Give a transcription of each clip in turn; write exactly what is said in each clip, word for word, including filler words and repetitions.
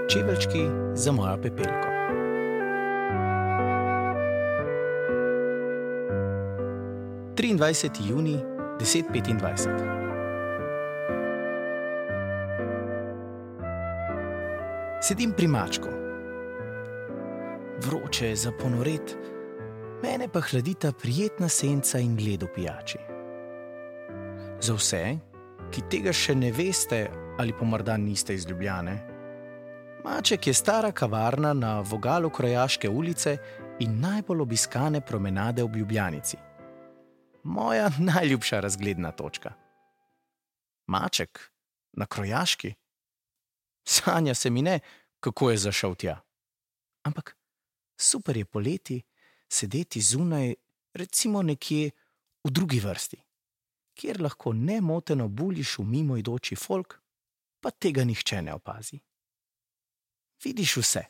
Čeveljčki za mojo Pepelko. triindvajseti junij, deset petindvajset. Sedim pri mačku. Vroče je za ponoret, mene pa hladita prijetna senca in led v pijači. Za vse, ki tega še ne veste ali pa morda niste iz Ljubljane, Maček je stara kavarna na vogalu Krojaške ulice in najbolj obiskane promenade ob Ljubljanici. Moja najljubša razgledna točka. Maček na Krojaški? Sanja se mi ne, kako je zašel tja. Ampak super je poleti sedeti zunaj, recimo nekje v drugi vrsti, kjer lahko nemoteno buljiš v mimoidoči folk, pa tega nihče ne opazi. Vidiš vse.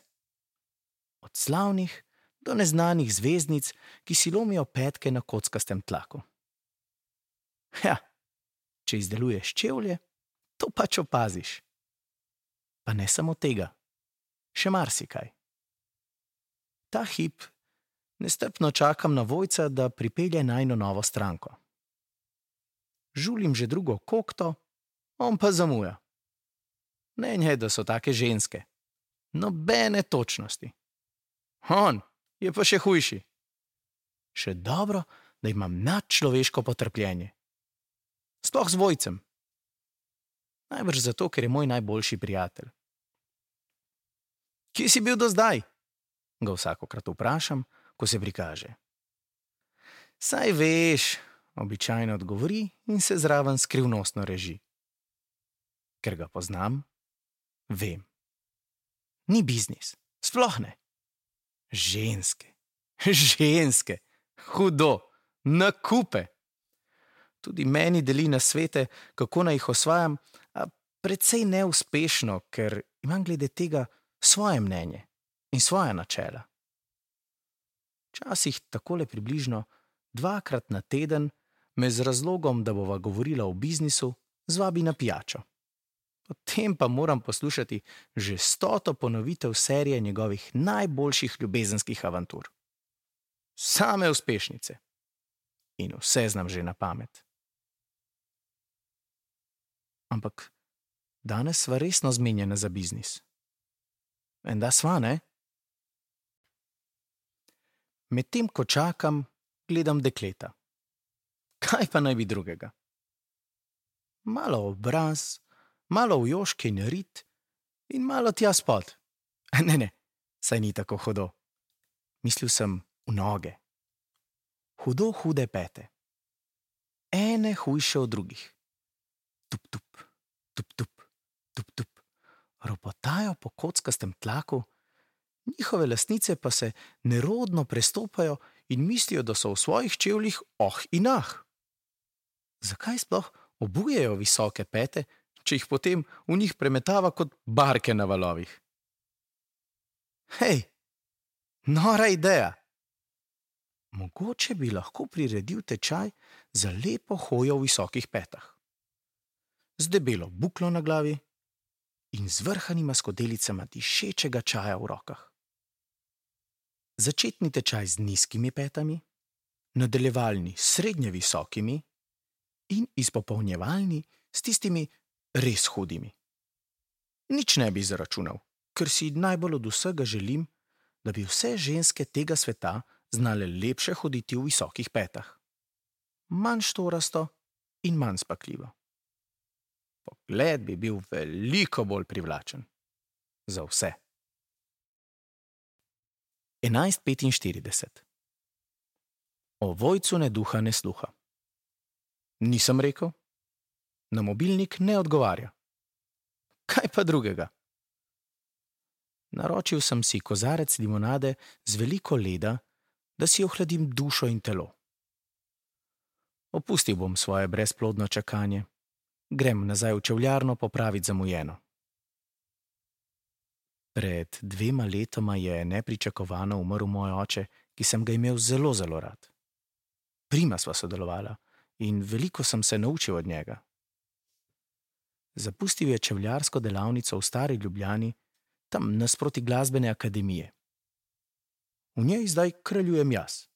Od slavnih do neznanih zvezdnic, ki si lomijo petke na kockastem tlaku. Ja, če izdeluješ čevlje, to pač opaziš. Pa ne samo tega, še marsikaj. Ta hip nestrpno čakam na Vojca, da pripelje najino novo stranko. Žulim že drugo kokto, on pa zamuja. Ne njej, da so take ženske. Nobene točnosti. On je pa še hujši. Še dobro, da imam nadčloveško potrpljenje. Sploh z Vojcem. Najbrž zato, ker je moj najboljši prijatelj. Kje si bil do zdaj? Ga vsakokrat vprašam, ko se prikaže. Saj veš, običajno odgovori in se zraven skrivnostno reži. Ker ga poznam, vem. Ni biznis, sploh ne. Ženske, ženske, hudo, na kupe. Tudi meni deli nasvete, kako naj jih osvajam, a precej neuspešno, ker imam glede tega svoje mnenje in svoja načela. Včasih takole približno dvakrat na teden me z razlogom, da bova govorila o biznisu, zvabi na pijačo. Potem pa moram poslušati že stoto ponovitev serije njegovih najboljših ljubezenskih avantur. Same uspešnice. In vse znam že na pamet. Ampak danes sva resno zmenjena za biznis. Enda sva, ne? Medtem, ko čakam, gledam dekleta. Kaj pa naj bi drugega? Malo obraz, malo v joške in rit in malo tja spod. Ne, ne, saj ni tako hudo. Mislil sem v noge. Hudo hude pete. Ene hujše od drugih. Tup, tup, tup, tup, tup, tup. Ropotajo po kockastem tlaku, njihove lastnice pa se nerodno prestopajo in mislijo, da so v svojih čevljih oh in ah. Zakaj sploh obujejo visoke pete, če jih potem v njih premetava kot barke na valovih? Hej, nora ideja! Mogoče bi lahko priredil tečaj za lepo hojo v visokih petah. Z debelo buklo na glavi in z vrhanima skodelicama dišečega čaja v rokah. Začetni tečaj z nizkimi petami, nadaljevalni s srednje visokimi in izpopolnjevalni s tistimi res hudimi. Nič ne bi zaračunal, ker si najbolj od vsega želim, da bi vse ženske tega sveta znale lepše hoditi v visokih petah. Manj štorasto in manj spakljivo. Pogled bi bil veliko bolj privlačen. Za vse. enajst petinštirideset. O Vojcu ne duha ne sluha. Nisem rekel? Na mobilnik ne odgovarja. Kaj pa drugega? Naročil sem si kozarec limonade z veliko leda, da si ohladim dušo in telo. Opustil bom svoje brezplodno čakanje. Grem nazaj v čevljarno popraviti zamujeno. Pred dvema letoma je nepričakovano umrl moj oče, ki sem ga imel zelo, zelo rad. Prima sva sodelovala in veliko sem se naučil od njega. Zapustil je čevljarsko delavnico v Stari Ljubljani, tam nasproti glasbene akademije. V njej zdaj kraljujem jaz.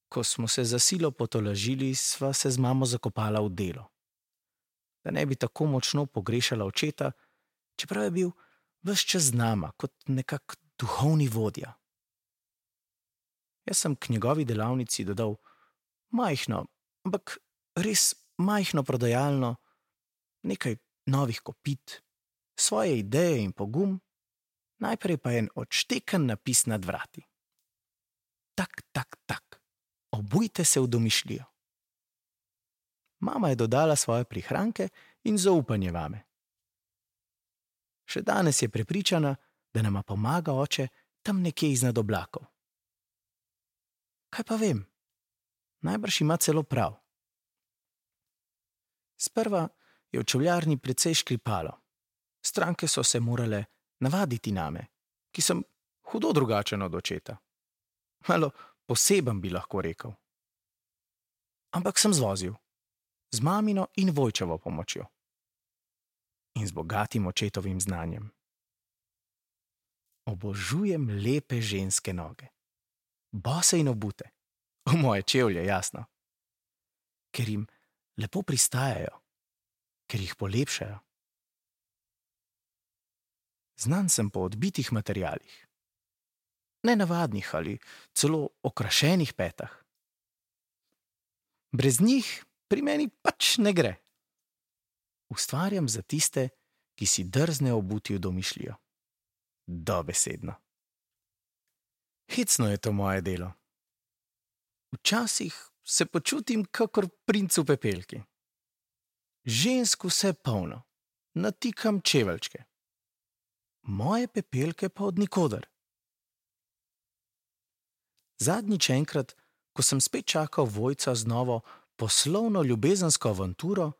Ko smo se za silo potolažili, sva se z mamo zakopala v delo. Da ne bi tako močno pogrešala očeta, čeprav je bil ves čas z nama kot nekak duhovni vodja. Jaz sem k njegovi delavnici dodal majhno, ampak res majhno prodajalno, nekaj novih kopit, svoje ideje in pogum, najprej pa en odšteken napis nad vrati. Tak, tak, tak, obujte se v domišljijo. Mama je dodala svoje prihranke in zaupanje vame. Še danes je prepričana, da nama pomaga oče tam nekje iznad oblakov. Kaj pa vem? Najbrž ima celo prav. Sprva je v čevljarni precej škripalo. Stranke so se morale navaditi name, ki sem hudo drugačen od očeta. Malo poseben bi lahko rekel. Ampak sem zvozil. Z mamino in Vojčevo pomočjo. In z bogatim očetovim znanjem. Obožujem lepe ženske noge. Bose in obute. V moje čevlje, jasno. Ker jim lepo pristajajo. Ker jih polepšajo. Znan sem po odbitih materialih. Nenavadnih ali celo okrašenih petah. Brez njih pri meni pač ne gre. Ustvarjam za tiste, ki si drzne obuti v domišljijo. Dobesedno. Hecno je to moje delo. Včasih se počutim kakor princ v pepelki. Žensk vse polno, natikam čeveljčke. Moje pepelke pa od nikoder. Zadnjič enkrat, ko sem spet čakal Vojca z novo poslovno ljubezensko avanturo,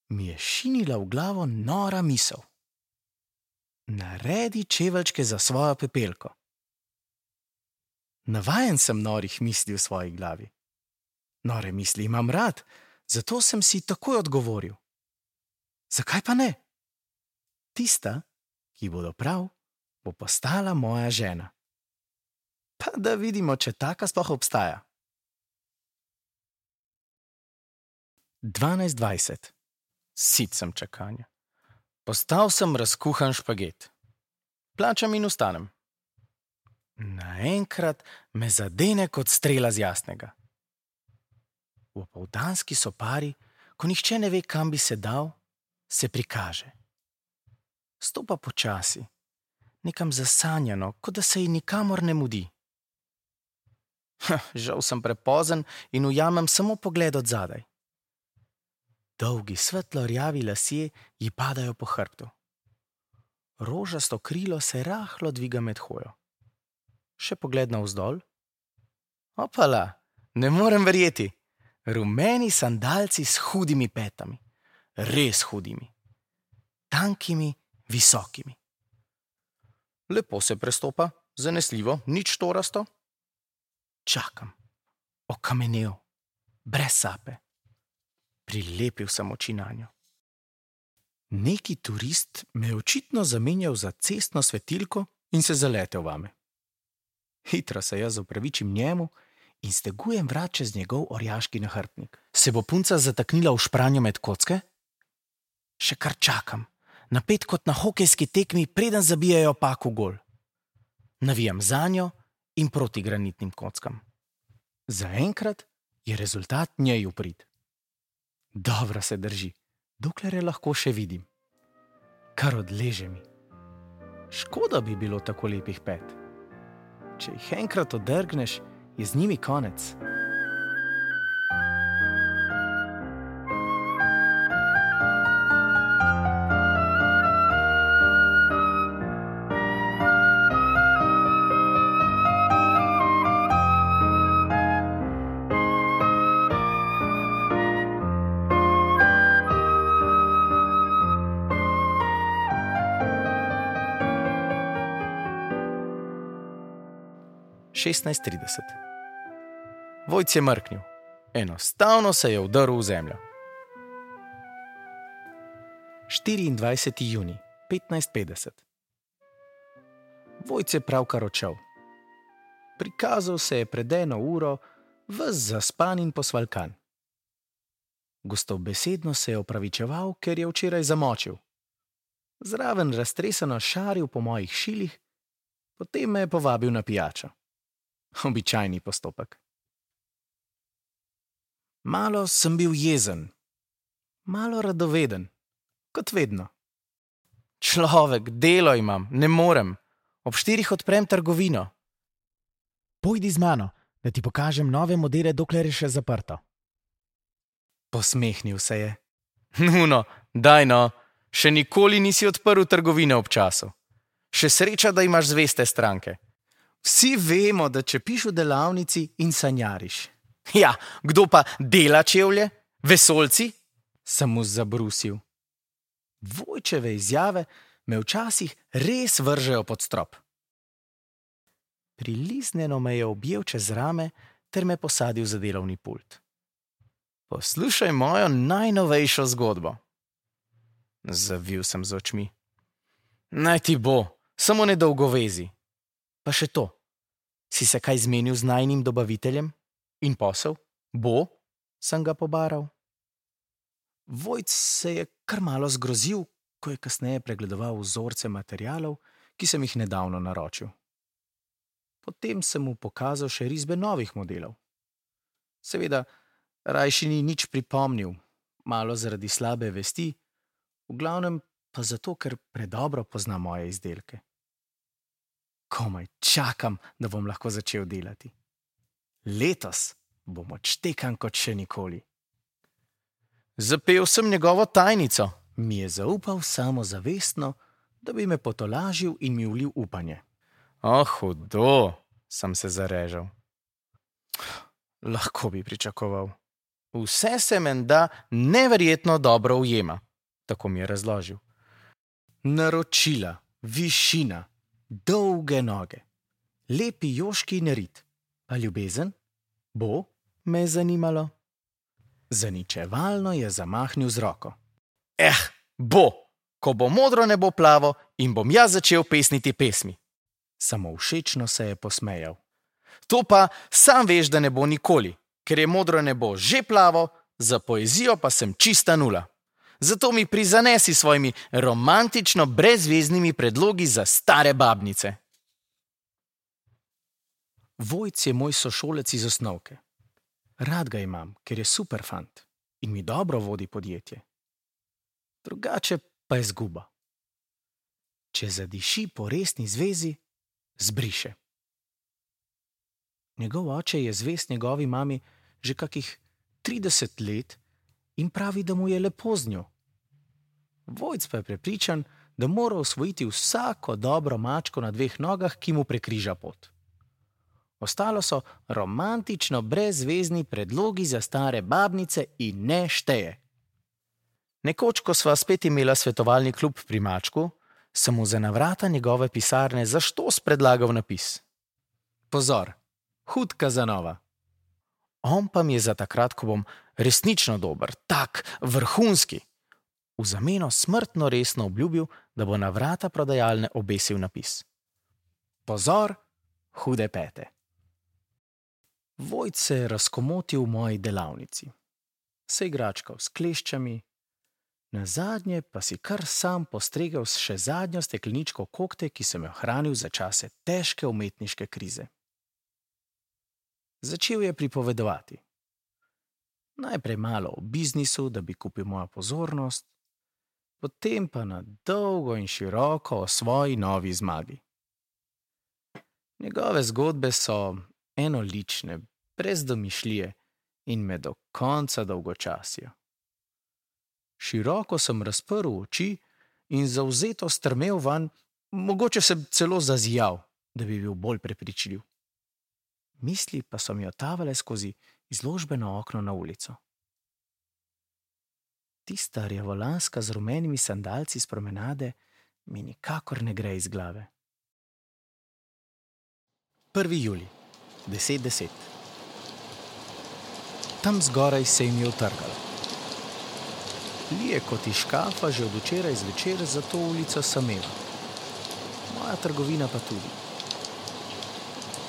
mi je šinila v glavo nora misel. Naredi čeveljčke za svojo pepelko. Navajen sem norih misli v svoji glavi. Nore misli imam rad, zato sem si takoj odgovoril. Zakaj pa ne? Tista, ki bodo prav, bo postala moja žena. Pa da vidimo, če taka sploh obstaja. dvanajst dvajset. Sit sem čakanja. Postal sem razkuhan špaget. Plačam in vstanem. Naenkrat me zadene kot strela z jasnega. V opoldanski sopari, ko nihče ne ve, kam bi se dal, se prikaže. Stopa počasi, nekam zasanjano, kot da se ji nikamor ne mudi. Ha, žal sem prepozen in ujamem samo pogled od zadaj. Dolgi svetlo rjavi lasje ji padajo po hrbtu. Rožasto krilo se rahlo dviga med hojo. Še pogled navzdol. Opala, ne morem verjeti. Rumeni sandalci s hudimi petami. Res hudimi. Tankimi, visokimi. Lepo se prestopa, zanesljivo, nič torasto. Čakam. Okamenel. Brez sape. Prilepil sem oči nanjo. Neki turist me je očitno zamenjal za cestno svetilko in se zaletel vame. Hitro se jaz opravičim njemu in stegujem vrat čez njegov orjaški nahrbtnik. Se bo punca zataknila v špranjo med kocke? Še kar čakam, napet kot na hokejski tekmi, preden zabijajo pak v gol. Navijam zanjo in proti granitnim kockam. Zaenkrat je rezultat njej v prid. Dobro se drži, dokler je lahko še vidim. Kar odleže mi. Škoda bi bilo tako lepih pet. Če jih enkrat odrgneš, je z njimi konec. šestnajst trideset. Vojc je mrknil. Enostavno se je vdrl v zemljo. štiriindvajseti junij, petnajst petdeset. Vojc je pravkar odšel. Prikazal se je pred eno uro, ves zaspan in posvalkan. Gostobesedno se je opravičeval, ker je včeraj zamočil. Zraven raztreseno šaril po mojih šilih, potem me je povabil na pijačo. Običajni postopek. Malo sem bil jezen, malo radoveden, kot vedno. Človek, delo imam, ne morem. Ob štirih odprem trgovino. Pojdi z mano, da ti pokažem nove modele, dokler je še zaprto. Posmehnil se je. Nuno, daj no, še nikoli nisi odprl trgovine ob času. Še sreča, da imaš zveste stranke. Vsi vemo, da čepiš v delavnici in sanjariš. Ja, kdo pa dela čevlje? Vesoljci? Sem mu zabrusil. Vojčeve izjave me včasih res vržejo pod strop. Priliznjeno me je objel čez rame ter me posadil za delovni pult. Poslušaj mojo najnovejšo zgodbo. Zavil sem z očmi. Naj ti bo, samo nedolgovezi. Pa še to, si se kaj zmenil z najnim dobaviteljem? In posel? Bo? Sem ga pobaral. Vojc se je kar malo zgrozil, ko je kasneje pregledoval vzorce materialov, ki sem jih nedavno naročil. Potem sem mu pokazal še risbe novih modelov. Seveda, rajši ni nič pripomnil, malo zaradi slabe vesti, v glavnem pa zato, ker predobro pozna moje izdelke. Komaj čakam, da bom lahko začel delati. Letos bom odštekan kot še nikoli. Zapel sem njegovo tajnico, mi je zaupal samozavestno, da bi me potolažil in mi vlil upanje. O, hudo, sem se zarežal. Lahko bi pričakoval. Vse se menda neverjetno dobro ujema, tako mi je razložil. Naročila, višina, dolge noge, lepi joški narit. Pa ljubezen? Bo? Me je zanimalo. Zaničevalno je zamahnil z roko. Eh, bo, ko bo modro nebo plavo in bom jaz začel pesniti pesmi. Samo všečno se je posmejal. To pa sam veš, da ne bo nikoli, ker je modro nebo že plavo, za poezijo pa sem čista nula. Zato mi prizanesi svojimi romantično brezveznimi predlogi za stare babnice. Vojc je moj sošolec iz osnovke. Rad ga imam, ker je super fant in mi dobro vodi podjetje. Drugače pa je zguba. Če zadiši po resni zvezi, zbriše. Njegov oče je zvest njegovi mami že kakih trideset let in pravi, da mu je lepo z njo. Vojc pa je prepričan, da mora osvojiti vsako dobro mačko na dveh nogah, ki mu prekriža pot. Ostalo so romantično brezvezni predlogi za stare babnice in ne šteje. Nekoč, ko sva spet imela svetovalni klub pri mačku, sem mu za na vrata njegove pisarne zaštos predlagal napis. Pozor, hud Kazanova. On pa mi je za takrat, ko bom resnično dober, tak, vrhunski, v zameno smrtno resno obljubil, da bo na vrata prodajalne obesil napis. Pozor, hude pete. Vojc se je razkomotil v moji delavnici. Se igračkal s kleščami, nazadnje pa si kar sam postregel s še zadnjo stekleničko kokte, ki sem jo hranil za čase težke umetniške krize. Začel je pripovedovati. Najprej malo o biznisu, da bi kupil mojo pozornost, potem pa na dolgo in široko o svoji novi zmagi. Njegove zgodbe so enolične, brez domišljije in me do konca dolgočasijo. Široko sem razprl oči in zavzeto strmel vanj, mogoče sem celo zazijal, da bi bil bolj prepričljiv. Misli pa so mi otavale skozi izložbeno okno na ulico. Tista rjavolanska z rumenimi sandalci s promenade mi nikakor ne gre iz glave. prvi julij, deset deset. Tam zgoraj se jim je utrgalo. Lije kot iz škafa že od včeraj zvečer, zato ulica sameva. moja trgovina pa tudi.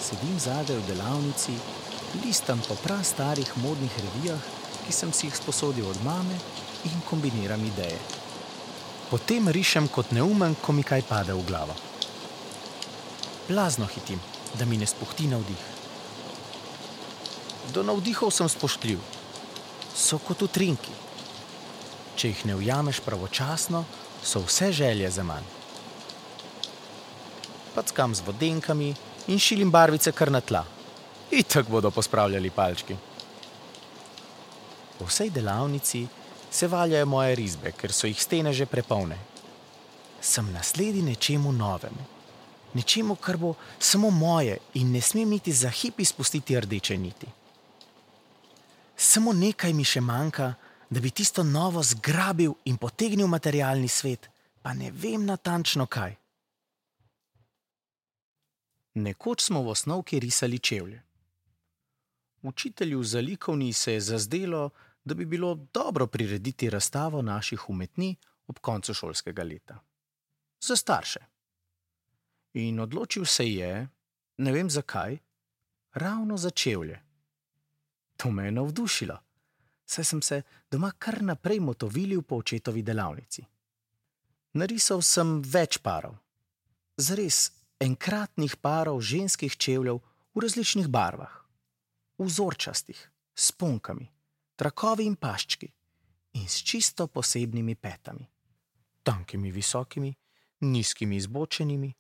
Sedim zadaj v delavnici, listam po prastarih modnih revijah, ki sem si jih sposodil od mame, in kombiniram ideje. Potem rišem kot neumen, ko mi kaj pade v glavo. Blazno hitim, da mi ne spuhti navdih. Do navdihov sem spoštljiv. So kot utrinki. Če jih ne ujameš pravočasno, so vse želje za manj. Packam z vodenkami in šilim barvice kar na tla. Itak bodo pospravljali palčki. Po vsej delavnici se valjajo moje risbe, ker so jih stene že prepolne. Sem nasledi nečemu novemu. Nečemu, kar bo samo moje in ne smem niti za hip izpustiti rdeče niti. Samo nekaj mi še manjka, da bi tisto novo zgrabil in potegnil materialni svet, pa ne vem natančno kaj. Nekoč smo v osnovki risali čevlje. Učitelju za likovni se je zazdelo, da bi bilo dobro prirediti razstavo naših umetnin ob koncu šolskega leta. Za starše. In odločil se je, ne vem zakaj, ravno za čevlje. To me je navdušilo, saj sem se doma kar naprej motovilil po očetovi delavnici. Narisal sem več parov. Zares enkratnih parov ženskih čevljev v različnih barvah. Vzorčastih, s sponkami, trakovi in paščki in s čisto posebnimi petami. Tankimi visokimi, nizkimi izbočenimi,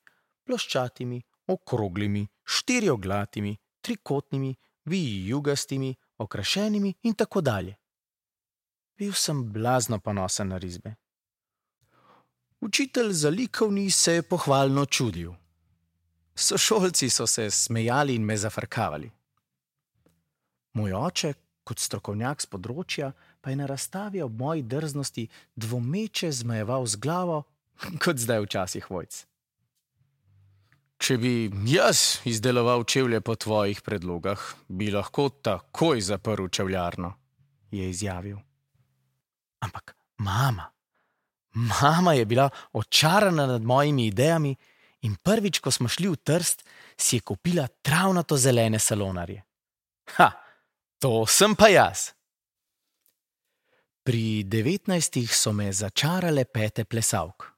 ploščatimi, okroglimi, štirioglatimi, trikotnimi, vijugastimi, okrašenimi in tako dalje. Bil sem blazno ponosen na risbe. Učitelj za likovni se je pohvalno čudil. Sošolci so se smejali in me zafrkavali. Moj oče, kot strokovnjak s področja, pa je na razstavi ob moji drznosti dvomeče zmajeval z glavo, kot zdaj včasih Vojc. Če bi jaz izdeloval čevlje po tvojih predlogah, bi lahko takoj zaprl čevljarno, je izjavil. Ampak mama, mama je bila očarana nad mojimi idejami in prvič, ko smo šli v Trst, si je kupila travnato zelene salonarje. Ha, to sem pa jaz. Pri devetnajstih so me začarale pete plesavk.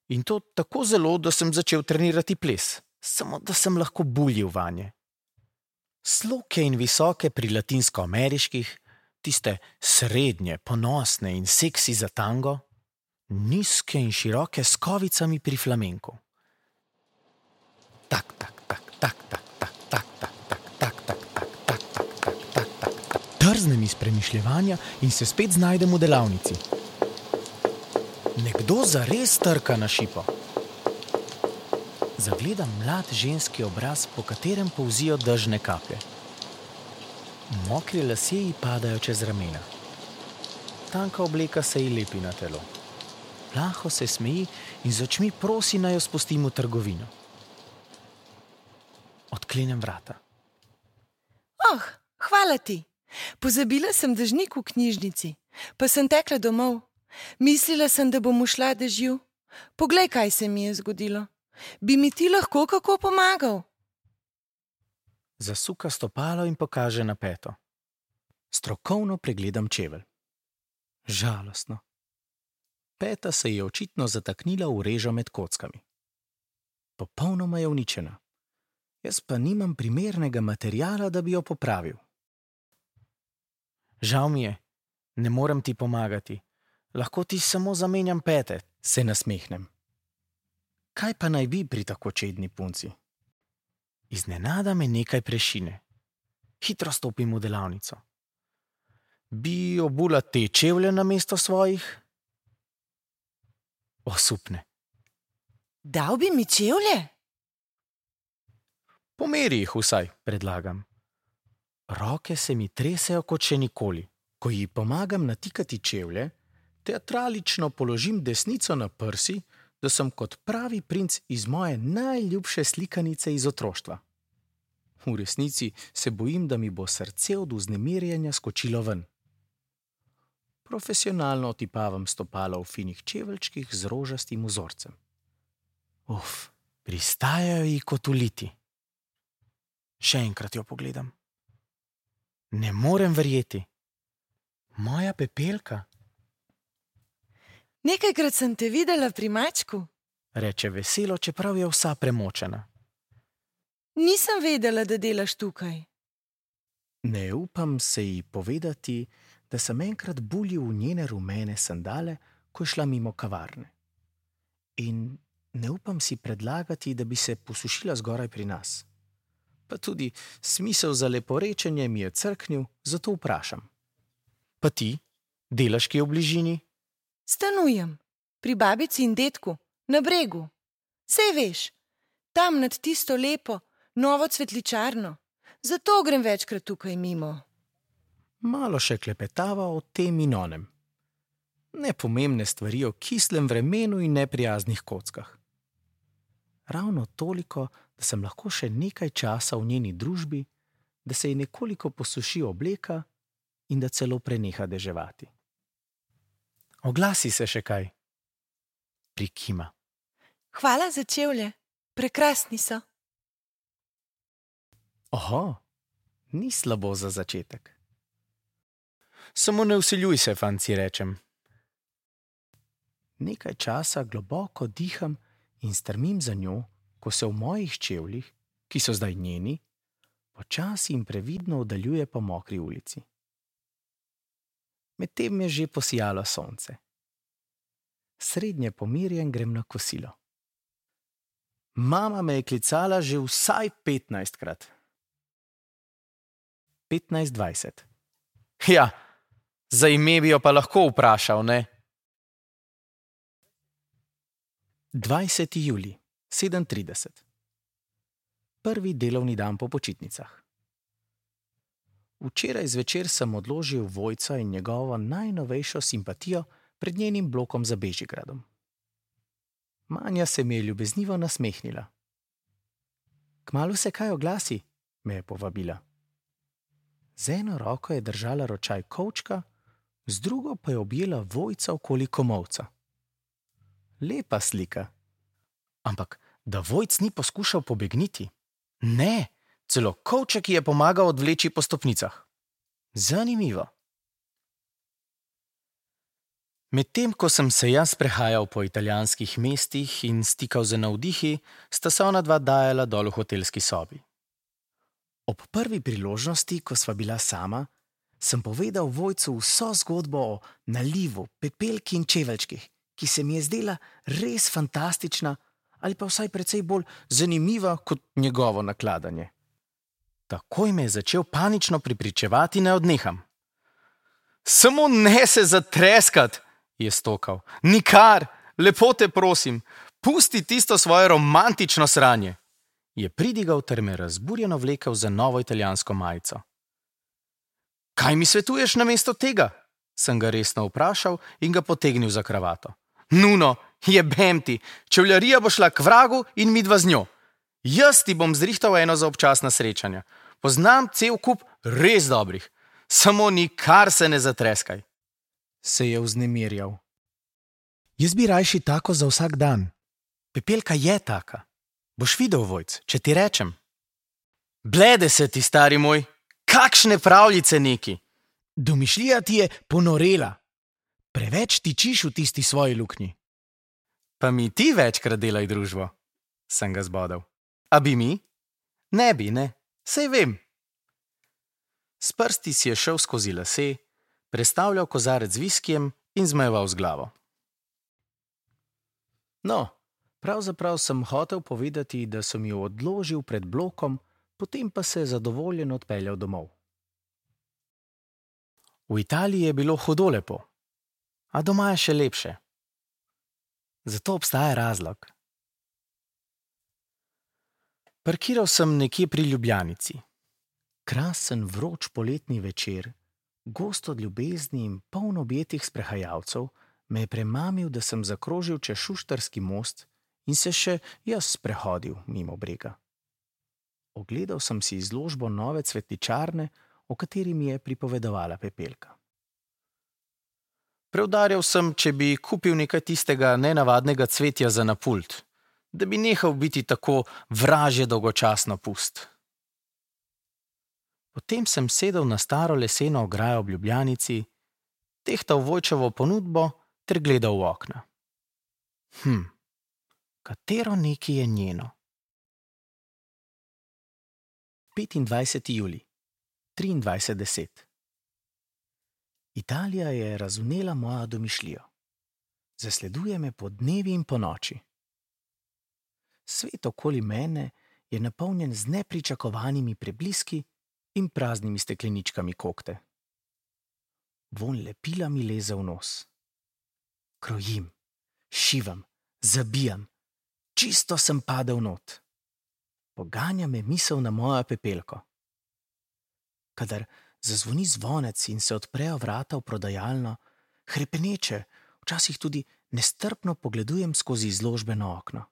In to tako zelo, da sem začel trenirati ples, samo da sem lahko buljil vanje. Sloke in visoke pri latinsko-ameriških, tiste srednje, ponosne in seksi za tango, nizke in široke s kovicami pri flamenku. Tak, tak, tak, tak, tak, tak, tak, tak, tak, tak, tak, tak, tak, tak, tak, tak, tak. Trznem iz premišljevanja in se spet znajdem v delavnici. Nekdo zares trka na šipo. Zagledam mlad ženski obraz, po katerem polzijo dežne kaplje. Mokri lasje ji padajo čez ramena. Tanka obleka se ji lepi na telo. Plaho se smeji in z očmi prosi, naj jo spustim v trgovino. Odklenem vrata. Oh, hvala ti. Pozabila sem dežnik v knjižnici, pa sem tekla domov. Mislila sem, da bom ušla dežju. Poglej, kaj se mi je zgodilo. Bi mi ti lahko kako pomagal? Zasuka stopalo in pokaže na peto. Strokovno pregledam čevelj. Žalostno. Peta se je očitno zataknila v režo med kockami. Popolnoma je uničena. Jaz pa nimam primernega materiala, da bi jo popravil. Žal mi je, ne morem ti pomagati. Lahko ti samo zamenjam pete, se nasmehnem. Kaj pa naj bi pri tako čedni punci? Iznenada me nekaj prešine. Hitro stopim v delavnico. Bi obula te čevlje namesto svojih? Osupne. Dal bi mi čevlje? Pomeri jih vsaj, predlagam. Roke se mi tresejo kot še nikoli. Ko ji pomagam natikati čevlje, teatralično položim desnico na prsi, da sem kot pravi princ iz moje najljubše slikanice iz otroštva. V resnici se bojim, da mi bo srce od vznemirjenja skočilo ven. Profesionalno otipavam stopala v finih čeveljčkih z rožastim vzorcem. Uf, Pristajajo ji kot uliti. Še enkrat jo pogledam. Ne morem verjeti. Moja Pepelka, Nekajkrat sem te videla pri mačku. reče veselo, čeprav je vsa premočena. Nisem vedela, da delaš tukaj. Ne upam se ji povedati, da sem enkrat buljil v njene rumene sandale, ko je šla mimo kavarne. In ne upam si predlagati, da bi se posušila zgoraj pri nas. Pa tudi smisel za leporečenje mi je crknil, zato vprašam. Pa ti, delaš kje v bližini? Stanujem, pri babici in dedku, na bregu. Sej veš, tam nad tisto lepo, novo cvetličarno. Zato grem večkrat tukaj mimo. Malo še klepetava o tem in onem. Nepomembne stvari o kislem vremenu in neprijaznih kockah. Ravno toliko, da sem lahko še nekaj časa v njeni družbi, da se ji nekoliko posuši obleka in da celo preneha deževati. Oglasi se še kaj. Prikima. Hvala za čevlje, prekrasni so. Oho, ni slabo za začetek. Samo ne vsiljuj se, fanci, rečem. Nekaj časa globoko diham in strmim za njo, ko se v mojih čevljih, ki so zdaj njeni, počasi in previdno oddaljuje po mokri ulici. Medtem je že posijalo sonce. Srednje pomirjen grem na kosilo. Mama me je klicala že vsaj petnajstkrat. petnajst dvajset. Ja, za ime bi jo pa lahko vprašal, ne? dvajseti julij, sedem trideset. Prvi delovni dan po počitnicah. Včeraj zvečer sem odložil Vojca in njegovo najnovejšo simpatijo pred njenim blokom za Bežigradom. Manja se mi je ljubeznivo nasmehnila. Kmalu se kaj oglasi, me je povabila. Z eno roko je držala ročaj kovčka, z drugo pa je objela Vojca okoli komolca. Lepa slika. Ampak da Vojc ni poskušal pobegniti? Ne, celo kovček ji je pomagal odvleči po stopnicah. Zanimivo. Medtem ko sem se jaz prehajal po italijanskih mestih in stikal z navdihi, sta se ona dva dajala dol v hotelski sobi. Ob prvi priložnosti, ko sva bila sama, sem povedal Vojcu vso zgodbo o nalivu, pepelki in čeveljčkih, ki se mi je zdela res fantastična ali pa vsaj precej bolj zanimiva kot njegovo nakladanje. Takoj me je začel panično pripričevati, ne odneham. Samo ne se zatreskat, je stokal. Nikar, lepo te prosim, pusti tisto svoje romantično sranje. Je pridigal ter me razburjeno vlekel za novo italijansko majico. Kaj mi svetuješ namesto tega? Sem ga resno vprašal in ga potegnil za kravato. Nuno, jebem ti, čevljarija bo šla k vragu in midva z njo. Jaz ti bom zrihtal eno za občasna srečanja. Poznam cel kup res dobrih. Samo nikar se ne zatreskaj. Se je vznemirjal. Jaz bi rajši tako za vsak dan. Pepelka je taka. Boš videl, Vojc, če ti rečem. Blede se ti, stari moj. Kakšne pravljice neki. Domišljija ti je ponorela. Preveč tičiš v tisti svoji luknji. Pa mi ti večkrat delaj družbo, sem ga zbodel. A bi mi? Ne bi, ne. Sej vem. S prsti si je šel skozi lase, prestavljal kozarec z viskijem in zmajeval z glavo. No, pravzaprav sem hotel povedati, da sem jo odložil pred blokom, potem pa se zadovoljen odpeljal domov. V Italiji je bilo hudo lepo, a doma je še lepše. Zato obstaja razlog. Parkiral sem nekje pri Ljubljanici. Krasen vroč poletni večer, gost od ljubezni in poln objetih sprehajalcev, me je premamil, da sem zakrožil čez Šuštarski most in se še jaz sprehodil mimo brega. Ogledal sem si izložbo nove cvetličarne, o kateri mi je pripovedovala Pepelka. Preudarjal sem, če bi kupil nekaj tistega nenavadnega cvetja za na pult. da bi nehal biti tako vražje dolgočasno pust. Potem sem sedel na staro leseno ograjo v Ljubljanici, tehtal Vojčevo ponudbo ter gledal v okna. Hm, katero neki je njeno? petindvajseti julij, triindvajset deset. Italija je razvnela mojo domišljijo. Zasleduje me po dnevi in po noči. Svet okoli mene je napolnjen z nepričakovanimi prebliski in praznimi stekleničkami kokte. Vonj lepila mi leze v nos. Krojim, šivam, zabijam, čisto sem padel not. Poganja me misel na mojo pepelko. Kadar zazvoni zvonec in se odprejo vrata v prodajalno, hrepeneče, včasih tudi nestrpno pogledujem skozi izložbeno okno.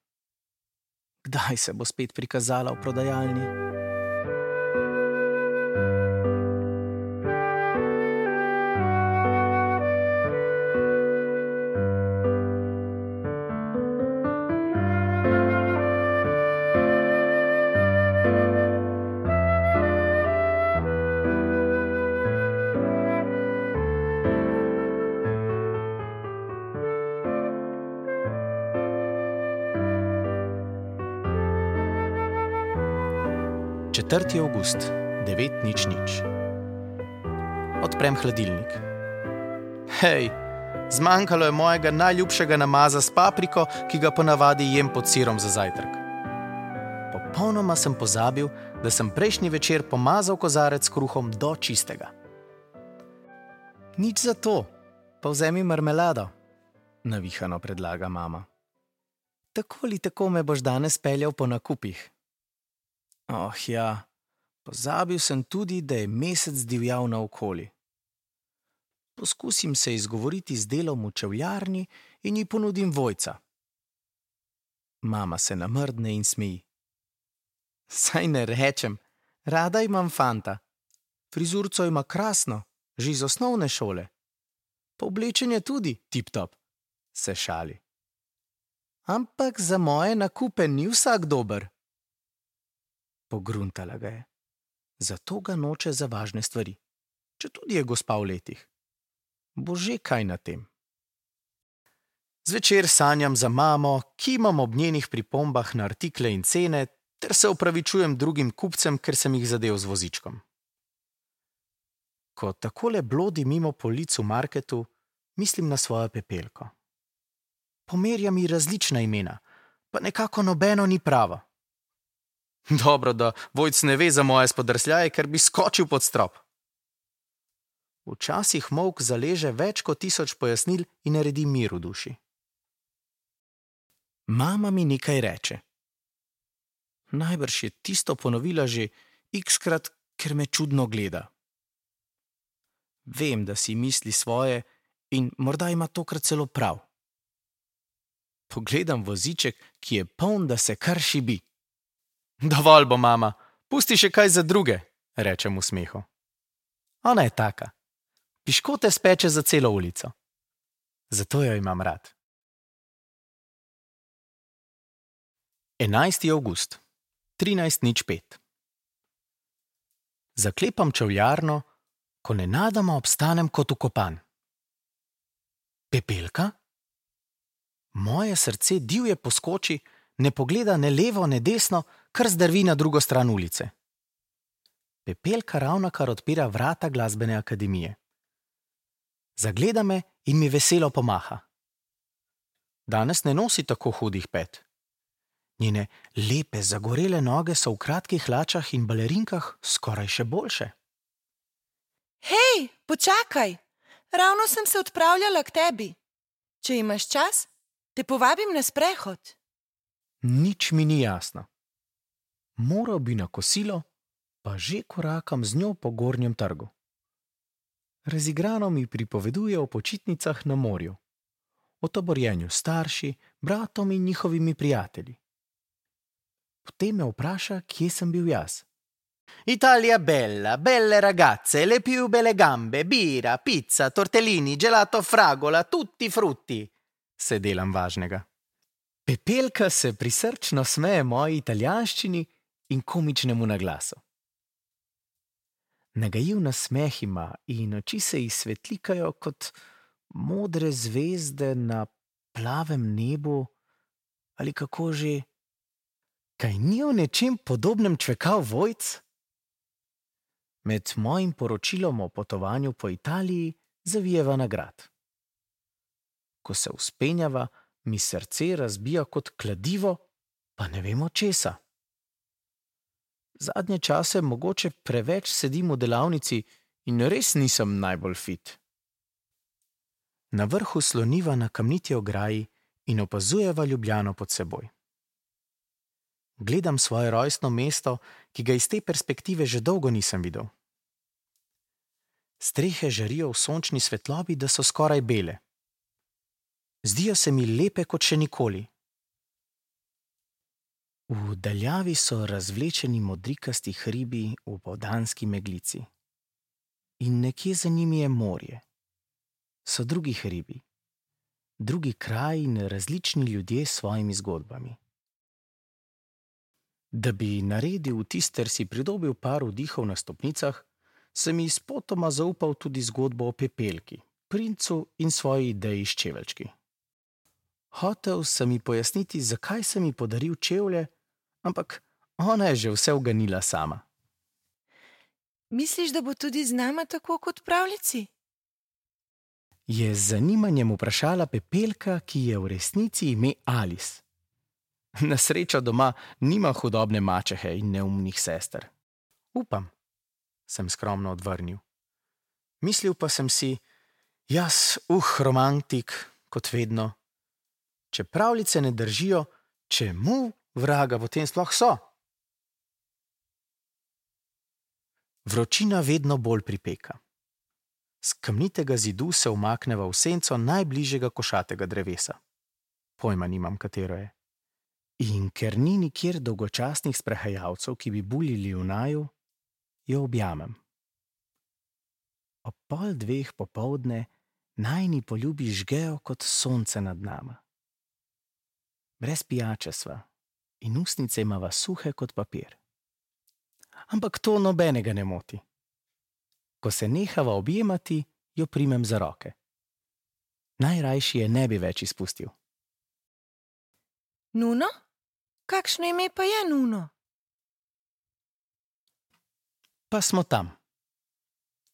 Kdaj se bo spet prikazala v prodajalni? četrti avgust, devet nič nič. Odprem hladilnik. Hej, zmanjkalo je mojega najljubšega namaza s papriko, ki ga ponavadi jem pod sirom za zajtrk. Popolnoma sem pozabil, da sem prejšnji večer pomazal kozarec s kruhom do čistega. Nič za to, pa vzemi marmelado, navihano predlaga mama. Tako ali tako me boš danes peljal po nakupih. Oh ja, pozabil sem tudi, da je mesec divjal naokoli. Poskusim se izgovoriti z delom v čevljarni in ji ponudim Vojca. Mama se namrdne in smeji. Saj ne rečem, rada imam fanta. Frizurco ima krasno, že iz osnovne šole. Pa oblečenje tudi tip-top, se šali. Ampak za moje nakupe ni vsak dober. Pogruntala ga je. Zato ga noče za važne stvari, četudi je gospa v letih. Bo že kaj na tem. Zvečer sanjam za mamo, kimam ob njenih pripombah na artikle in cene, ter se opravičujem drugim kupcem, ker sem jih zadel z vozičkom. Ko takole blodi mimo polic v marketu, mislim na svojo pepelko. Pomerja mi različna imena, pa nekako nobeno ni pravo. Dobro, da Vojc ne ve za moje spodrsljaje, ker bi skočil pod strop. Včasih molk zaleže več kot tisoč pojasnil in naredi mir v duši. Mama mi nekaj reče. Najbrž je tisto ponovila že x-krat, ker me čudno gleda. Vem, da si misli svoje in morda ima tokrat celo prav. Pogledam voziček, ki je poln, da se kar šibi. Dovolj bo, mama, pusti še kaj za druge, rečem v smehu. Ona je taka. Piškote speče za celo ulico. Zato jo imam rad. enajsti avgust, trinajst nič pet. Zaklepam čevljarno, ko nenadoma obstanem kot ukopan. Pepelka? Moje srce divje poskoči, ne pogleda ne levo, ne desno, kar zdrvi na drugo stran ulice. Pepelka ravnokar odpira vrata glasbene akademije. Zagleda me in mi veselo pomaha. Danes ne nosi tako hudih pet. Njene lepe, zagorele noge so v kratkih hlačah in balerinkah skoraj še boljše. Hej, počakaj! Ravno sem se odpravljala k tebi. Če imaš čas, te povabim na sprehod. Nič mi ni jasno. Moral bi na kosilo, pa že korakam z njo po Gornjem trgu. Razigrano mi pripoveduje o počitnicah na morju, o taborjenju s starši, bratom in njihovimi prijatelji. Potem me vpraša, kje sem bil jaz. Italija bella, belle ragazze, le più belle gambe, bira, pizza, tortellini, gelato fragola, tutti frutti, se delam važnega. Pepelka se prisrčno smeje moji italijanščini in komičnemu naglasu. Nagajiv nasmeh ima in oči se ji svetlikajo kot modre zvezde na plavem nebu, ali kako že. Kaj ni v nečem podobnem čvekal Vojc? Med mojim poročilom o potovanju po Italiji zavijeva na grad. Ko se vzpenjava, mi srce razbija kot kladivo, pa ne vemo česa. Zadnje čase mogoče preveč sedim v delavnici in res nisem najbolj fit. Na vrhu sloniva na kamniti ograji in opazujeva Ljubljano pod seboj. Gledam svoje rojstno mesto, ki ga iz te perspektive že dolgo nisem videl. Strehe žarijo v sončni svetlobi, da so skoraj bele. Zdijo se mi lepe kot še nikoli. V daljavi so razvlečeni modrikasti hribi v opoldanski meglici. In nekje za njimi je morje. So drugi hribi, drugi kraji in različni ljudje s svojimi zgodbami. Da bi naredil vtis ter si pridobil par vdihov na stopnicah, sem ji spotoma zaupal tudi zgodbo o Pepelki, princu in svoji ideji s čeveljčki. Hotel sem ji pojasniti, zakaj sem ji podaril čevlje, ampak ona je že vse uganila sama. Misliš, da bo tudi z nama tako kot v pravljici? Je z zanimanjem vprašala Pepelka, ki je v resnici ime Alice. Na srečo doma nima hudobne mačehe in neumnih sester. Upam, sem skromno odvrnil. Mislil pa sem si, jaz, uh, romantik, kot vedno. Če pravljice ne držijo, čemu vraga potem sploh so? Vročina vedno bolj pripeka. Z kamnitega zidu se umakneva v senco najbližjega košatega drevesa. Pojma nimam, katero je. In ker ni nikjer dolgočasnih sprehajalcev, ki bi buljili v naju, jo objamem. Ob pol dveh popoldne najini poljubi žgejo kot sonce nad nama. Brez pijače sva in ustnice imava suhe kot papir. Ampak to nobenega ne moti. Ko se nehava objemati, jo primem za roke. Najrajši je ne bi več izpustil. Nuno? Kakšno ime pa je Nuno? Pa smo tam.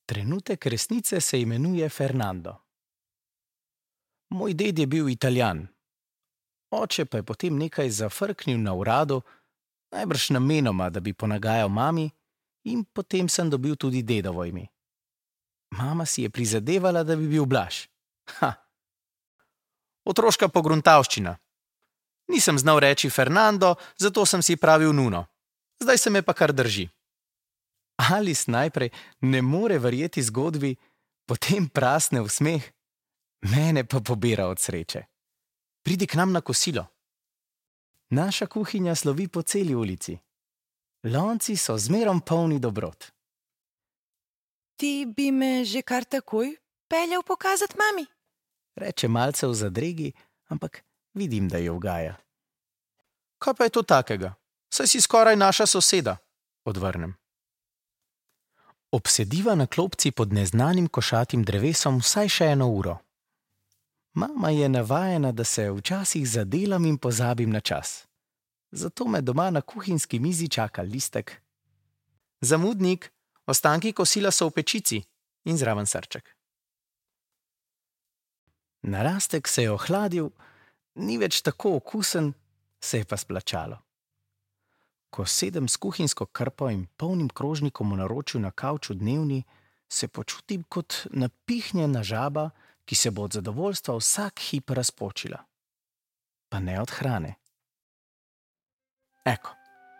Trenutek resnice se imenuje Fernando. Moj ded je bil Italijan. Oče pa je potem nekaj zafrknil na uradu, najbrž namenoma, da bi ponagajal mami, in potem sem dobil tudi dedovo ime. Mama si je prizadevala, da bi bil Blaž. Ha! Otroška pogruntavščina. Nisem znal reči Fernando, zato sem si pravil Nuno. Zdaj se me pa kar drži. Alice najprej ne more verjeti zgodbi, potem prasne v smeh, mene pa pobira od sreče. Pridi k nam na kosilo. Naša kuhinja slovi po celi ulici. Lonci so zmerom polni dobrot. Ti bi me že kar takoj peljal pokazati mami? Reče malce v zadregi, ampak vidim, da jo ugaja. Kaj pa je to takega? Saj si skoraj naša soseda, odvrnem. Obsediva na klopci pod neznanim košatim drevesom vsaj še eno uro. Mama je navajena, da se včasih zadelam in pozabim na čas. Zato me doma na kuhinjski mizi čaka listek. Zamudnik, ostanki kosila so v pečici in zraven srček. Narastek se je ohladil, ni več tako okusen, se je pa splačalo. Ko sedem s kuhinjsko krpo in polnim krožnikom v naročju na kavču dnevni, se počutim kot napihnjena žaba, ki se bo od zadovoljstva vsak hip razpočila. Pa ne od hrane. Eko,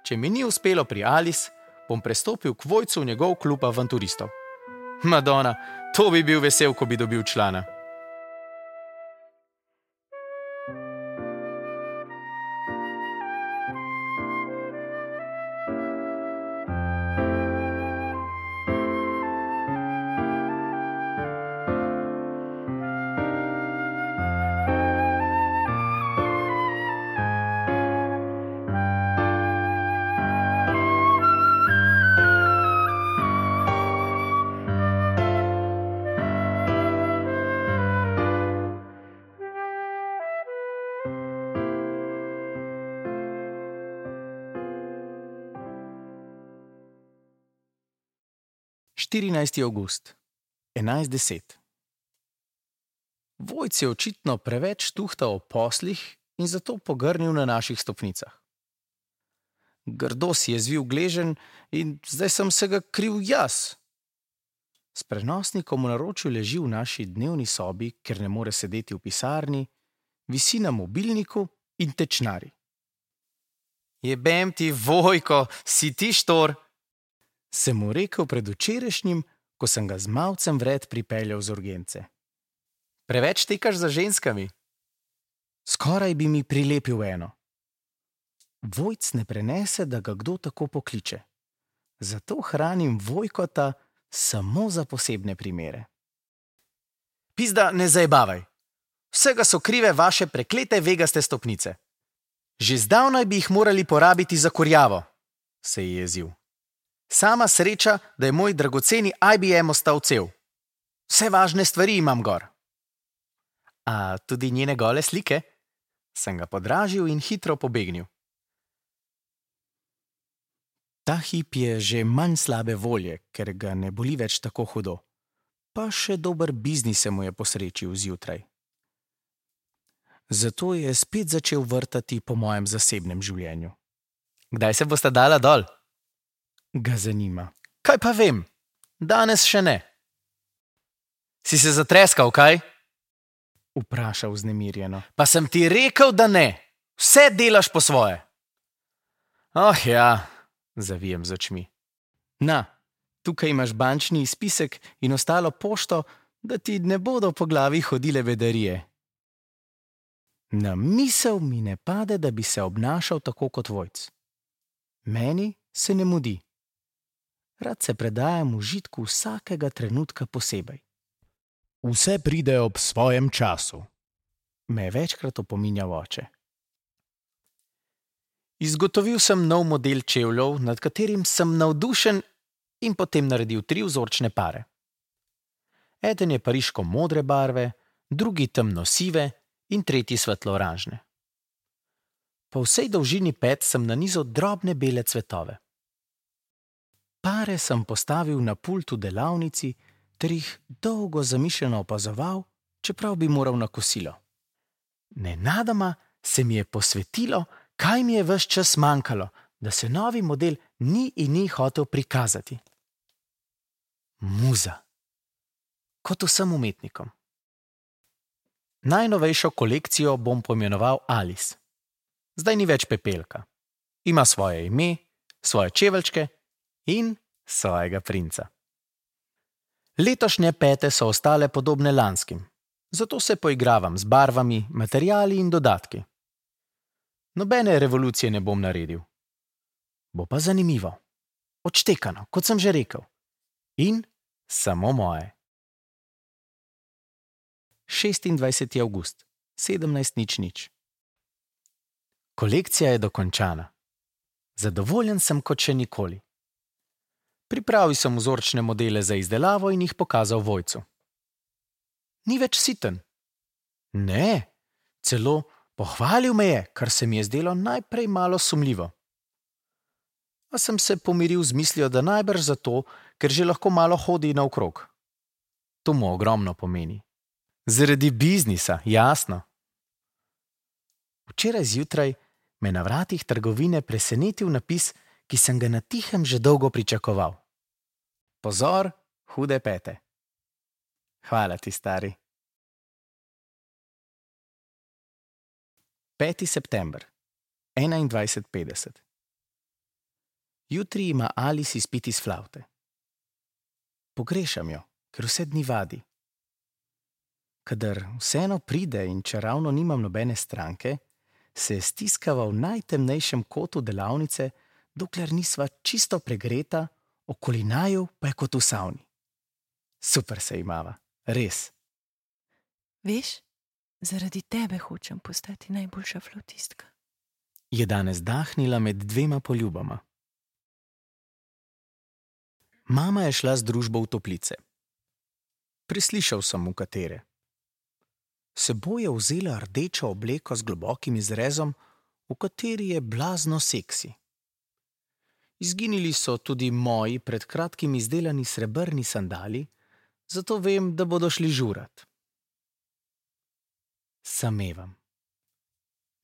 če mi ni uspelo pri Alice, bom prestopil k Vojcu v njegov klub avanturistov. Madonna, to bi bil vesel, ko bi dobil člana. štirinajsti avgust, enajst deset. Vojc je očitno preveč tuhtal o poslih in zato pogrnil na naših stopnicah. Grdo si je zvil gleženj in zdaj sem se ga kriv jaz. S prenosnikom v naročju leži v naši dnevni sobi, ker ne more sedeti v pisarni, visi na mobilniku in tečnari. Jebem ti, Vojko, si ti štor? Sem mu rekel pred včerajšnjim, ko sem ga z malcem vred pripeljal z urgence. Preveč tekaš za ženskami. Skoraj bi mi prilepil eno. Vojc ne prenese, da ga kdo tako pokliče. Zato hranim Vojkota samo za posebne primere. Pizda, ne zajebavaj. Vsega so krive vaše preklete vegaste stopnice. Že zdavnaj bi jih morali porabiti za kurjavo, se je jezil. Sama sreča, da je moj dragoceni I B M ostal cel. Vse važne stvari imam gor. A tudi njene gole slike? Sem ga podražil in hitro pobegnil. Ta hip je že manj slabe volje, ker ga ne boli več tako hudo. Pa še dober biznis se mu je posrečil zjutraj. Zato je spet začel vrtati po mojem zasebnem življenju. Kdaj se boste dala dol? Ga zanima. Kaj pa vem? Danes še ne. Si se zatreskal, kaj? Vpraša vznemirjeno. Pa sem ti rekel, da ne. Vse delaš po svoje. Oh ja, zavijem z očmi. Na, tukaj imaš bančni izpisek in ostalo pošto, da ti ne bodo po glavi hodile bedarije. Na misel mi ne pade, da bi se obnašal tako kot Vojc. Meni se ne mudi. Rad se predajam užitku vsakega trenutka posebej. Vse pride ob svojem času, me je večkrat opominjal oče. Izgotovil sem nov model čevljev, nad katerim sem navdušen in potem naredil tri vzorčne pare. Eden je pariško modre barve, drugi temno sive in tretji svetlo oranžne. Po vsej dolžini pet sem nanizal drobne bele cvetove. Pare sem postavil na pult v delavnici ter jih dolgo zamišljeno opazoval, čeprav bi moral na kosilo. Nenadoma se mi je posvetilo, kaj mi je ves čas manjkalo, da se novi model ni in ni hotel prikazati. Muza. Kot vsem umetnikom. Najnovejšo kolekcijo bom poimenoval Alice. Zdaj ni več pepelka. Ima svoje ime, svoje čeveljčke in svojega princa. Letošnje pete so ostale podobne lanskim, zato se poigravam z barvami, materiali in dodatki. Nobene revolucije ne bom naredil. Bo pa zanimivo. Odštekano, kot sem že rekel. In samo moje. šestindvajseti avgust, sedemnajst nič nič. Kolekcija je dokončana. Zadovoljen sem kot še nikoli. Pripravil sem vzorčne modele za izdelavo in jih pokazal Vojcu. Ni več siten. Ne, celo pohvalil me je, kar se mi je zdelo najprej malo sumljivo. A sem se pomiril z mislijo, da najbrž zato, ker že lahko malo hodi naokrog. To mu ogromno pomeni. Zaradi biznisa, jasno. Včeraj zjutraj me na vratih trgovine presenetil napis, ki sem ga na tihem že dolgo pričakoval. Pozor, hude pete. Hvala ti, stari. peti september, enaindvajset petdeset. Jutri ima Alice izpit iz flavte. Pogrešam jo, ker vse dni vadi. Kadar vseeno pride in čeravno nimam nobene stranke, se stiskava v najtemnejšem kotu delavnice, dokler nisva čisto pregreta, okoli naju pa je kot v savni. Super se imava, res. Veš, zaradi tebe hočem postati najboljša flavtistka. Je danes dahnila med dvema poljubama. Mama je šla z družbo v toplice. Preslišal sem, v katere. Seboj je vzela rdečo obleko z globokim izrezom, v kateri je blazno seksi. Izginili so tudi moji pred kratkim izdelani srebrni sandali, zato vem, da bodo šli žurat. Samevam.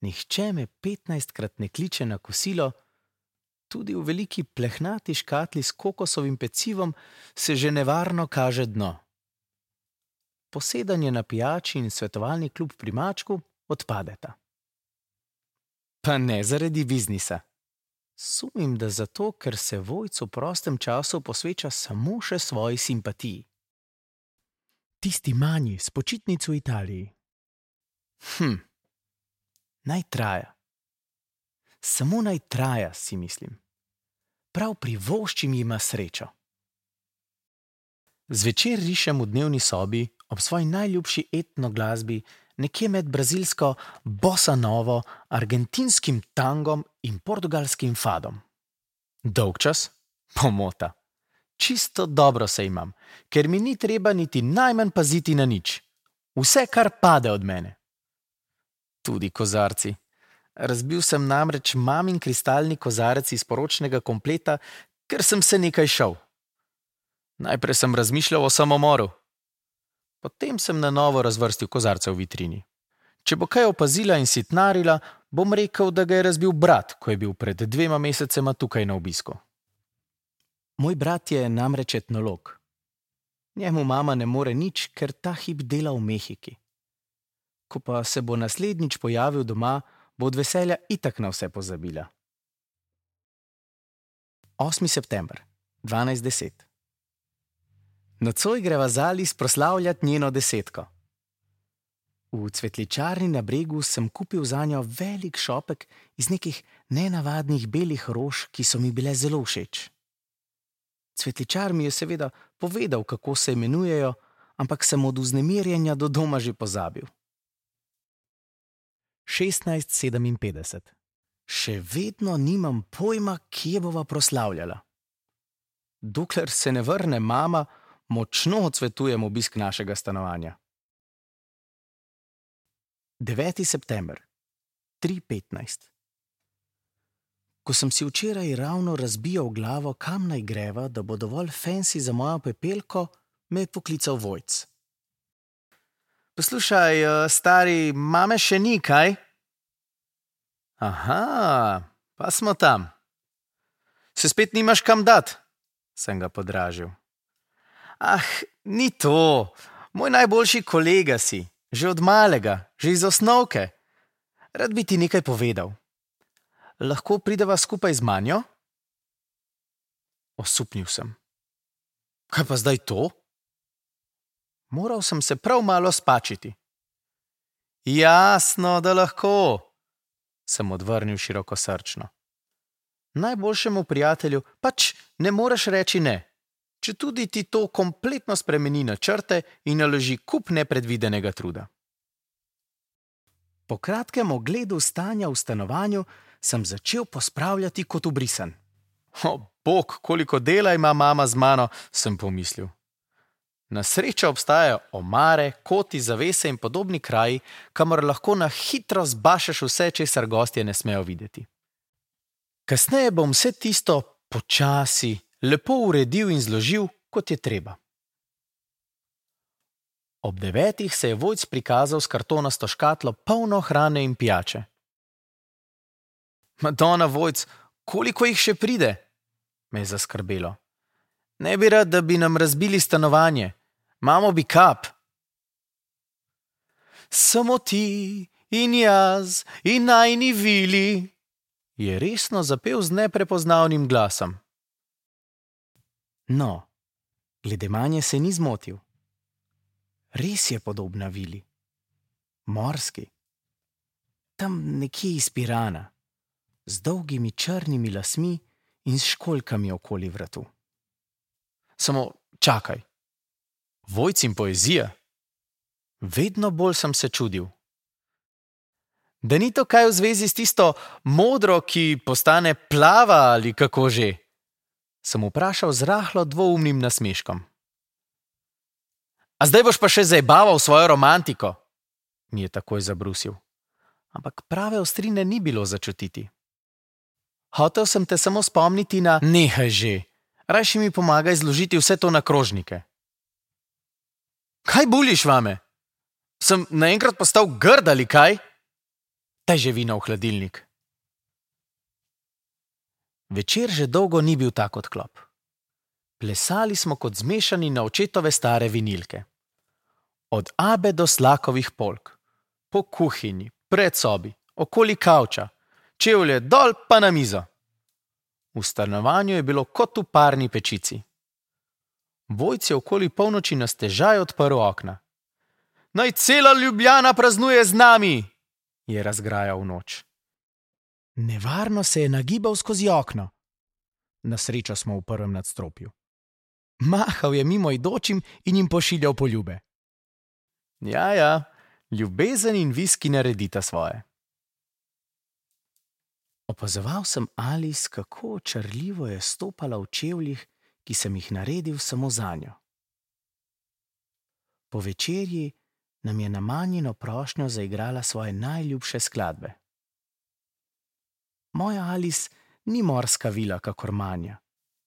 Nihče me petnajstkrat ne kliče na kosilo, tudi v veliki plehnati škatli s kokosovim pecivom se že nevarno kaže dno. Posedanje na pijači in svetovalni klub pri mačku odpadeta. Pa ne zaradi biznisa. Sumim, da zato, ker se Vojc v prostem času posveča samo še svoji simpatiji. Tisti manji s počitnic v Italiji. Hm, naj traja. Samo naj traja, si mislim. Prav privoščim jima srečo. Zvečer rišem v dnevni sobi ob svoji najljubši etno glasbi nekje med brazilsko bossa novo, argentinskim tangom in portugalskim fadom. Dolgčas? Pomota. Čisto dobro se imam, ker mi ni treba niti najmanj paziti na nič. Vse, kar pade od mene. Tudi kozarci. Razbil sem namreč mamin kristalni kozarec iz poročnega kompleta, ker sem se nekaj šel. Najprej sem razmišljal o samomoru. Potem sem na novo razvrstil kozarce v vitrini. Če bo kaj opazila in sitnarila, bom rekel, da ga je razbil brat, ko je bil pred dvema mesecema tukaj na obisku. Moj brat je namreč etnolog. Njemu mama ne more nič, ker ta hip dela v Mehiki. Ko pa se bo naslednjič pojavil doma, bo od veselja itak na vse pozabila. osmi september, dvanajst deset. Nocoj greva z Alice proslavljati njeno desetko. V cvetličarni na Bregu sem kupil zanjo velik šopek iz nekih nenavadnih belih rož, ki so mi bile zelo všeč. Cvetličar mi je seveda povedal, kako se imenujejo, ampak sem od vznemirjenja do doma že pozabil. šestnajst sedeminpetdeset. Še vedno nimam pojma, kje bova proslavljala. Dokler se ne vrne mama, močno odsvetujem obisk našega stanovanja. deveti september, tri petnajst. Ko sem si včeraj ravno razbijal glavo, kam naj greva, da bo dovolj fancy za mojo pepelko, me je poklical Vojc. Poslušaj, stari, mame še ni, kaj? Aha, pa smo tam. Se spet nimaš kam dat? Sem ga podražil. Ah, ni to. Moj najboljši kolega si. Že od malega, že iz osnovke. Rad bi ti nekaj povedal. Lahko prideva skupaj z Manjo? Osupnil sem. Kaj pa zdaj to? Moral sem se prav malo spačiti. Jasno, da lahko, sem odvrnil širokosrčno. Najboljšemu prijatelju pač ne moreš reči ne, četudi ti to kompletno spremeni načrte in naloži kup nepredvidenega truda. Po kratkem ogledu stanja v stanovanju sem začel pospravljati kot ubrisan. O, bog, koliko dela ima mama z mano, sem pomislil. Na srečo obstajajo omare, koti, zavese in podobni kraji, kamor lahko na hitro zbašeš vse, česar gostje ne smejo videti. Kasneje bom vse tisto počasi, lepo uredil in zložil, kot je treba. Ob devetih se je Vojc prikazal s kartonasto škatlo polno hrane in pijače. Madona, Vojc, koliko jih še pride? Me je zaskrbelo. Ne bi rad, da bi nam razbili stanovanje. Mamo bi kap. Samo ti in jaz in najni vili, je resno zapel z neprepoznavnim glasom. No, glede Manje se ni zmotil. Res je podobna vili. Morski. Tam nekje iz Pirana, z dolgimi črnimi lasmi in s školjkami okoli vratu. Samo čakaj. Vojc in poezija? Vedno bolj sem se čudil. Da ni to kaj v zvezi s tisto modro, ki postane plava ali kako že? Sem vprašal z rahlo dvoumnim nasmeškom. A zdaj boš pa še zajebaval svojo romantiko? Mi je takoj zabrusil. Ampak prave ostrine ni bilo začutiti. Hotel sem te samo spomniti na... Nehaj že, rajši mi pomagaj zložiti vse to na krožnike. Kaj buliš vame? Sem naenkrat postal grd ali kaj? Daj že vino v hladilnik. Večer že dolgo ni bil tak odklop. Plesali smo kot zmešani na očetove stare vinilke. Od Abe do Slakovih polk, po kuhinji, pred sobi, okoli kavča, čevlje dol pa na mizo. V stanovanju je bilo kot v parni pečici. Vojc je okoli polnoči na stežaj odprl okna. Naj cela Ljubljana praznuje z nami, je razgrajal noč. Nevarno se je nagibal skozi okno. Na srečo smo v prvem nadstropju. Mahal je mimo idočim in jim pošiljal poljube. Ja, ja, ljubezen in viski naredita svoje. Opazoval sem Alice, kako očarljivo je stopala v čevljih, ki sem jih naredil samo zanjo. Po večerji nam je na manjino prošnjo zaigrala svoje najljubše skladbe. Moja Alice ni morska vila kakor Manja,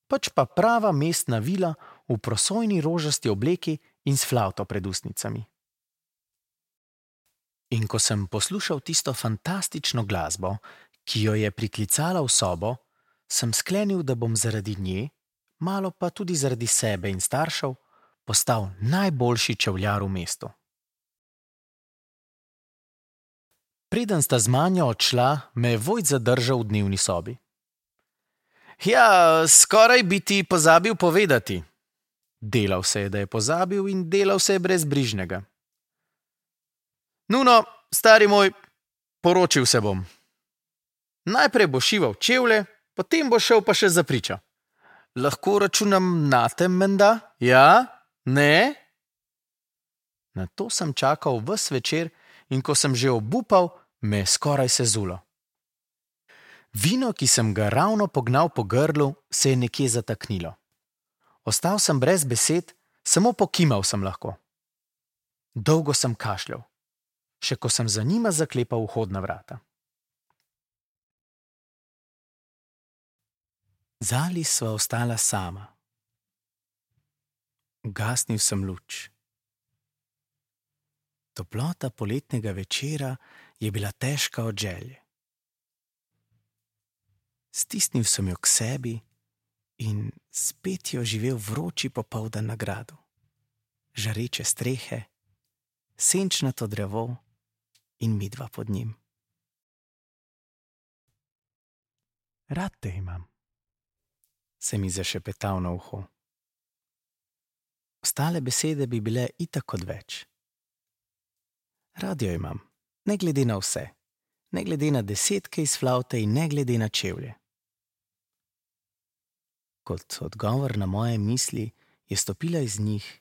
pač pa prava mestna vila v prosojni rožasti obleki in s flavto pred ustnicami. In ko sem poslušal tisto fantastično glasbo, ki jo je priklicala v sobo, sem sklenil, da bom zaradi nje, malo pa tudi zaradi sebe in staršev, postal najboljši čevljar v mestu. Preden sta z Manjo odšla, me je Vojt zadržal v dnevni sobi. Ja, skoraj bi ti pozabil povedati. Delal se je, da je pozabil in delal se je brezbrižnega. Nuno, stari moj, poročil se bom. Najprej bo šival čevlje, potem bo šel pa še za pričo. Lahko računam na te, menda? Ja? Ne? Na to sem čakal ves večer in ko sem že obupal, me je skoraj sezulo. Vino, ki sem ga ravno pognal po grlu, se je nekje zataknilo. Ostal sem brez besed, samo pokimal sem lahko. Dolgo sem kašljal, še ko sem za njima zaklepal vhodna vrata. Z Alice sva ostala sama. Ugasnil sem luč. Toplota poletnega večera je bila težka od želje. Stisnil sem jo k sebi in spet jo živel vroči popoldan na gradu. Žareče strehe, senčnato drevo in midva pod njim. Rad te imam, se mi zašepetal na uho. Ostale besede bi bile itak odveč. Rad jo imam, ne glede na vse, ne glede na desetke iz flavte in ne glede na čevlje. Kot odgovor na moje misli je stopila iz njih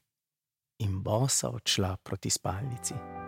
in bosa odšla proti spalnici.